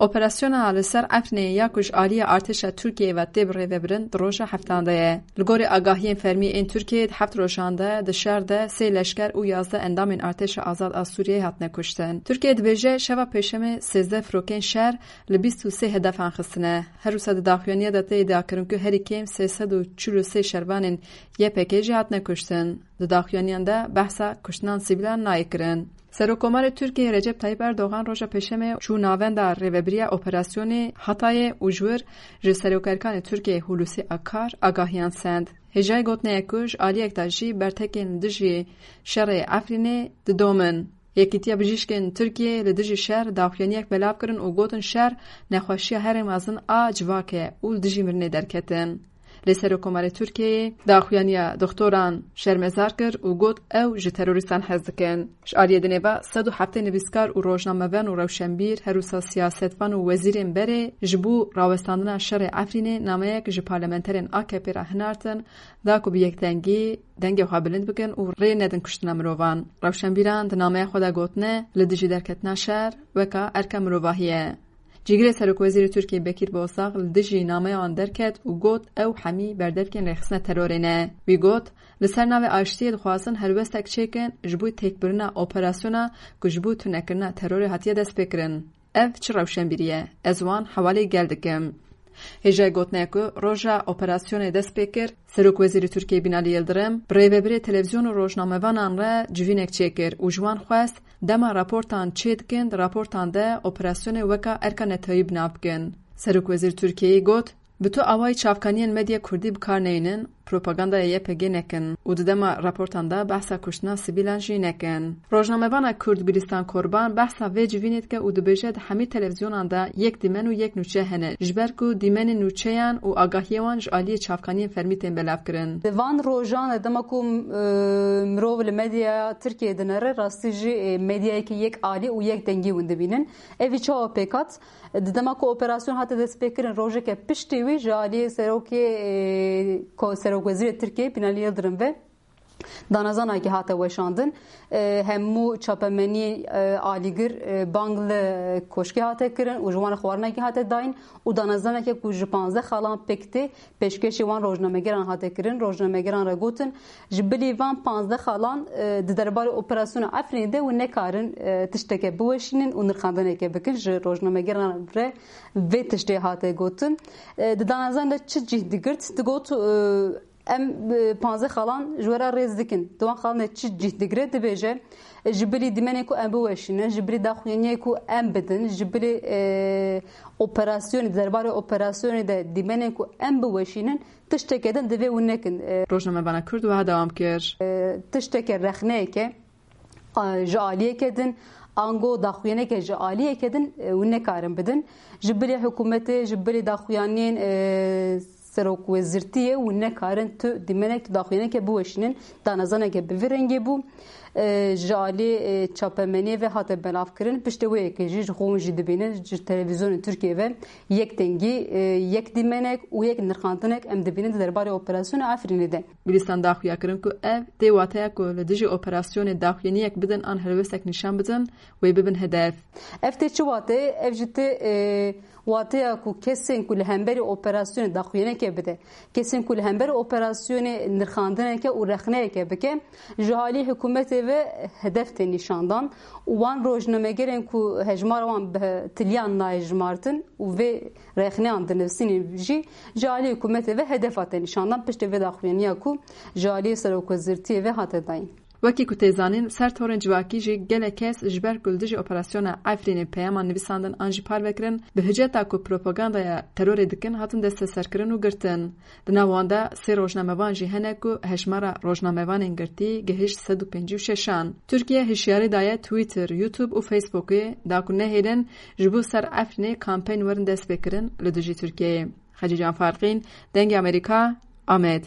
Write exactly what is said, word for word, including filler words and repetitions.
Operasyona li ser Efrînê ya ku ji aliyê artêşa Tirkiyeyê ve tê birêvebirin di roja heftan de ye. Li gorî agahiyên fermî ên Tirkiyeyê di heft rojan de di şer de sê leşker û yazdeh endamên artêşa azad a Sûriyeyê hatine kuştin. Tirkiye dibêje şeva pêşemê sêzdeh firokên şer li bîst û sê hedefan xistine. Her wisa di daxuyaniya de tê îdiakirin ku herî kêm sê sed û çil û sê şervanên Y P G jî hatine kuştin. Di daxuyaniyan de behsa kuştinan sivîlan nayê kirin. Serokkomarê Tirkiyeyê Recep Tayyip Erdogan roja Pêşemê çû navenda rêvebiriya operasyonê Hatayê û ji wir ji serokerikanê Tirkiyeyê Hulusi Akar agahiyan send. Hêjayî gotinê ye ku ji aliyek de jî bertekên li dijî şerê Efrînê didomin. Yekîtiya Bijîşkên Tirkiyeyê li dijî şer daxuyaniyek belav kirin û gotin şer nexweşiya herî mezin a civak e û li dijî mirinê derketin. Lê Serokkomarê Tirkiyeyê daxuyaniya doxtoran şermezar kir û got ew ji terorîstan hez dikin. Ji aliyê dinê ve sed û heftê nivîskar û rojnamevan û rewşenbîr, her wisa siyasetvan û wezîrên berê ji bo rawestandina şerê Efrînê nameyek ji parlamenterên A K P re hinartin, da ku bi yekdengî dengê xwe bilind bikin û rê nedin kuştina mirovan. Rewşenbîran di nameya xwe de gotine, li dijî derketina şer weka erka mirovahî ye. Cîgirê Serokwezîrê Tirkiyê Bekîr Bozdağ li dijî nameya wan derket û got ew hemî berdevkên rêxistina terorê ne. Wî got, li ser navê aştiyê dixwazin helwestek çêkin ji bo têkbirina operasyona ku ji bo tunekirina terorê hatiye destpêkirin. Ev çi rewşenbîrî ye? Ez wan hewalê gel dikim. Hêjayî gotinê ye ku roja operasyonê dest pê kir, Serokwezîrê Tirkiyê Binalî Yildirim bi rêvebirê televîzyon û rojnamevanan re civînek çêkir û ji wan xwest dema raportan çêdikin, di raportan de operasyonê weka erka neteweyî bi nav bikin. Serokwezîr Tirkiyeyê got, bi tu awayî çavkaniyên medya kurdî bi kar neynin, propagandaya Y P G nekin û di dema raportan de behsa kuştina sivîlan jî nekin. Rojnamevana kurd Gulîstan Korban behsa vê civînê dike û dibêje, di hemî televîzyonan de yek dîmen û yek nûçe hene, ji ber ku dîmenên nûçeyan û agahiyê wan ji aliyê çavkaniyên fermî tên belavkirin. Di van rojan de dema ku, e, mirov li medyaya Tirkiyeyê dinere, rastî jî, e, medyayeke yek alî û yek dengî hûn dibînin. Evî çawa pêk hat? Di dema ku operasyon hate destpêkirin, rojeke piştî wî ji aliyê serokê, e, ko-, serokwezîrê Tirkiyeyê Binalî Yildirim ve danezanakî hate weşandin. E, hemû çapemeniyê, e, alîgir, e, bang li koşkê hate kirin û ji wan re xwarinekî hate dayîn û danezaneke ku ji panzdeh xalan pêk tê, pêşkêşî wan rojnamegeran hate kirin. Rojnamegeran re gotin, ji bilî van panzdeh xalan, e, di derbarê operasyona Efrînê de hûn nekarin, e, tişteke biweşînin û nirxandineke bikin. Ji rojnamegeran re vê tiştê hate gotin. E, di danezan de çi cih digirt? Digot, e, em, e, panzdeh xalan ji we re rêz dikin. Di wan xalan de çi cih digire? Dibêje, e, ji bilî dîmenê ku em biweşînin, ji bilî daxuyaniyê ku em bidin, ji bilî, e, operasyonê, di derbarê operasyonê de dîmenên ku em biweşînin, tişteke din divê hûn nekin. E, Rojnamevana Kurd wiha dewam kir. E, tişteke rexneyeke, a, ji aliyeke din, ango daxuyaneke ji aliyeke din, e, hûn nekarin bidin. Ji bilî hikûmetê, ji bilî daxuyaniyên, e, serokwezîrtiyê hûn nekarin tu dîmenek, tu daxuyaneke biweşînin. Danezaneke bi vî rengê bû. E, ji alî, e, çapemeniyê ve hate belavkirin. Piştê wê yekê jî ji xwe hûn jî dibînin, ji televîzyonên Tirkiyê ve yek dengî, e, yek dîmenek û yek nirxandinek em dibînin di derbarê operasyona Efrînê de. Gulîstan daxuya kirin ku ev tê wateya ku li dijî operasyonê daxuyaniyek bidin an helwestek nîşan bidin, wê bibin hedef. Ev tê çi wateyê? Ev jî tê, e, wateya ku kesên ku li hemberî operasyonê daxuyaneke bide, kesên ku li hember operasyonê nirxandineke û rexneyeke bike, ji alî hikûmetê ve hedef tê nîşandan û wan rojnamegerên ku hejmara wan bi tiliyan nayê jimartin û vê rexneyan dinivîsînin jî ji alî hikûmetê ve hedef hate nîşandan piştê vê daxuyaniya ku ji alî serokwezîrtiyê ve hate dayîn. Wekî ku tê zanîn, ser torên civakî jî gelek kes ji ber ku li dijî operasyona Efrînê peyaman nivîsandin an jî parve kirin, bi hiceta ku propagandaya terorê dikin, hatin desteserkirin û girtin. Di nav wan de sê rojnamevan jî hene ku hejmara rojnamevanên girtî gihişt sed û pêncî û şeşan. Tirkiye hişyarî daye Twitter, YouTube û Facebookê da ku nehêlin ji bo ser Efrînê kampeyn werin destpêkirin li dijî Tirkiyeyê. Xecîcan Farqîn, Dengê Amerîka, Amed.